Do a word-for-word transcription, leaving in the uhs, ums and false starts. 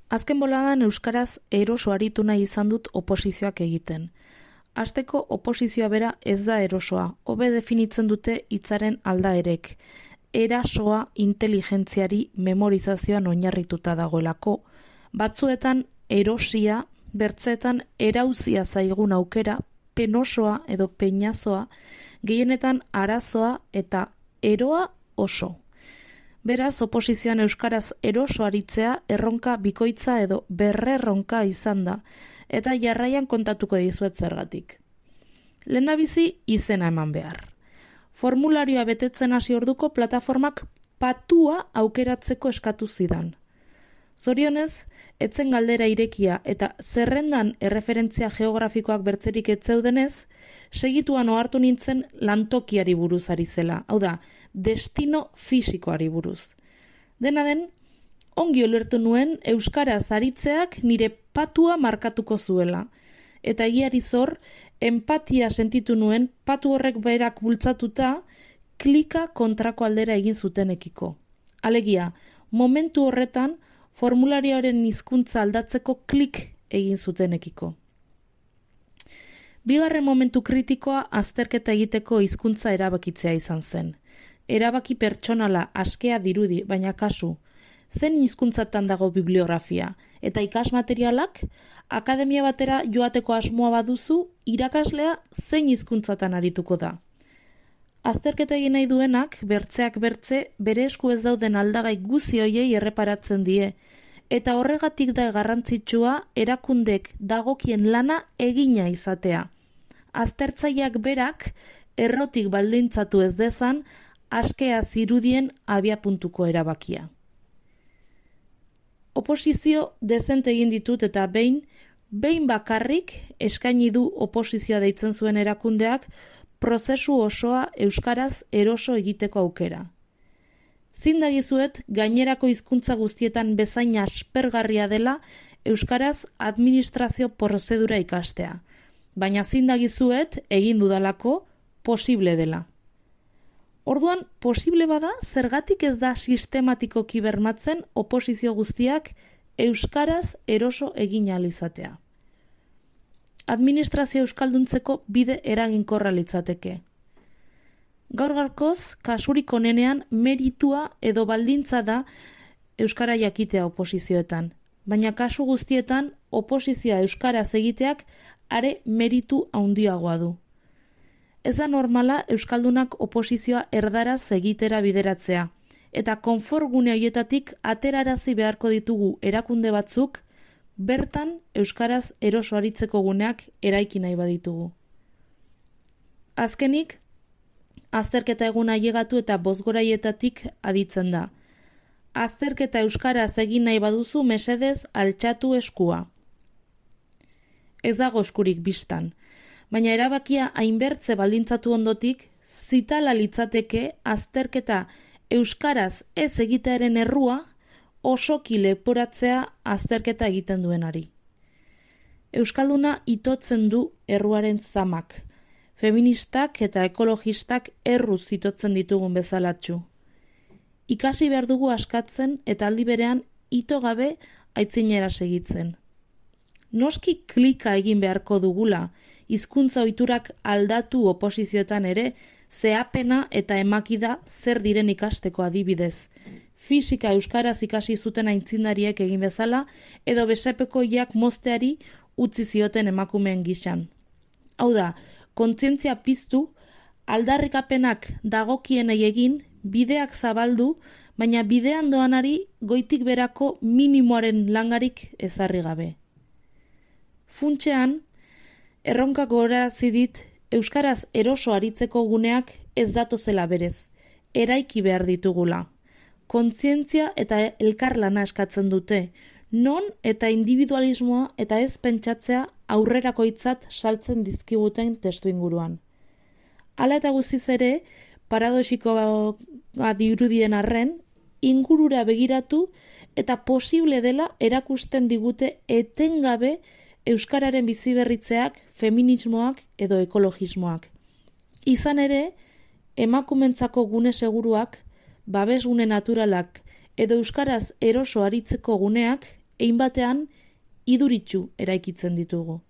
Azken boladan euskaraz eroso aritu nahi izan dut oposizioak egiten. Hasteko oposizioa bera ez da erosoa, hobe definitzen dute hitzaren aldaerek. Erasoa inteligentziari memorizazioan oinarrituta dagoelako. Batzuetan erosia, bertzeetan erauzia zaigun aukera, penosoa edo peinazoa, gehienetan arazoa eta eroa oso. Beraz, oposizioan euskaraz eroso aritzea erronka bikoitza edo berrerronka izan da, eta jarraian kontatuko dizuet zergatik. Lehendabizi izena eman behar. Formularioa betetzen hasi orduko plataformak patua aukeratzeko eskatu zidan. Zorionez, etzen galdera irekia eta zerrendan erreferentzia geografikoak bertzerik ez zeudenez, segituan ohartu nintzen lantokiari buruz ari zela, hau da, destino fisikoari buruz. Dena den, ongi ulertu nuen euskaraz aritzeak nire patua markatuko zuela, eta egiari zor, empatia sentitu nuen patu horrek berak bultzatuta klika kontrako aldera egin zutenekiko. Alegia, momentu horretan formularioaren hizkuntza aldatzeko klik egin zutenekiko. Bigarren momentu kritikoa azterketa egiteko hizkuntza erabakitzea izan zen. Erabaki pertsonala askea dirudi, baina kasu, zen hizkuntzatan dago bibliografia, eta ikasmaterialak, akademia batera joateko asmoa baduzu, irakaslea zein hizkuntzatan arituko da. Azterketa egin nahi duenak, bertzeak bertze, bere esku ez dauden aldagai guzi hoiei erreparatzen die, eta horregatik da garrantzitsua erakundek dagokien lana egina izatea. Aztertzaileak berak errotik baldintzatu ez dezan, askea zirudien abiapuntuko erabakia. Oposizio dezente egin ditut eta behin, behin bakarrik eskaini du oposizioa deitzen zuen erakundeak prozesu osoa euskaraz eroso egiteko aukera. Zindagizuet gainerako hizkuntza guztietan bezain aspergarria dela euskaraz administrazio prozedura ikastea, baina zindagizuet egin dudalako posible dela. Orduan, posible bada, zergatik ez da sistematikoki bermatzen oposizio guztiak euskaraz eroso egin ahal izatea. Administrazio euskalduntzeko bide eraginkorra litzateke. Gaur gaurkoz, kasurik onenean meritua edo baldintza da euskara jakitea oposizioetan, baina kasu guztietan oposizioa euskaraz egiteak are meritu handiagoa du. Ez da normala euskaldunak oposizioa erdaraz egitera bideratzea, eta konforgune horietatik aterarazi beharko ditugu erakunde batzuk, bertan euskaraz eroso aritzeko guneak eraiki nahi baditugu. Azkenik, azterketa eguna ailegatu eta bozgoraietatik aditzen da. Azterketa euskaraz egin nahi baduzu mesedez altxatu eskua. Ez dago eskurik bistan, baina erabakia hainbertze baldintzatu ondotik, zitala litzateke azterketa euskaraz ez egitearen errua osoki leporatzea azterketa egiten duenari. Euskalduna itotzen du erruaren zamak, feministak eta ekologistak erruz itotzen ditugun bezalatxu. Ikasi behar dugu askatzen eta aldi berean ito gabe aitzinera segitzen. Noski klika egin beharko dugula, hizkuntza ohiturak aldatu oposizioetan ere, zeapena eta emakida zer diren ikasteko adibidez. Fisika euskaraz ikasi zuten aintzindariek egin bezala, edo besepekoiak mozteari utzi zioten emakumeen gisan. Hau da, kontzientzia piztu, aldarrikapenak dagokienei egin, bideak zabaldu, baina bidean doanari goitik berako minimoaren langarik ezarri gabe. Funtsean, erronka gogorarazi dit, euskaraz eroso aritzeko guneak ez datozela berez, eraiki behar ditugula. Kontzientzia eta elkarlana eskatzen dute, non eta individualismoa eta ez pentsatzea aurrerakoitzat saltzen dizkiguten testu inguruan. Hala eta guztiz ere, paradoxikoa dirudien arren, ingurura begiratu eta posible dela erakusten digute etengabe euskararen biziberritzeak, feminismoak edo ekologismoak. Izan ere, emakumentzako gune seguruak, babesgune naturalak edo euskaraz eroso aritzeko guneak hein batean iduritsu eraikitzen ditugu.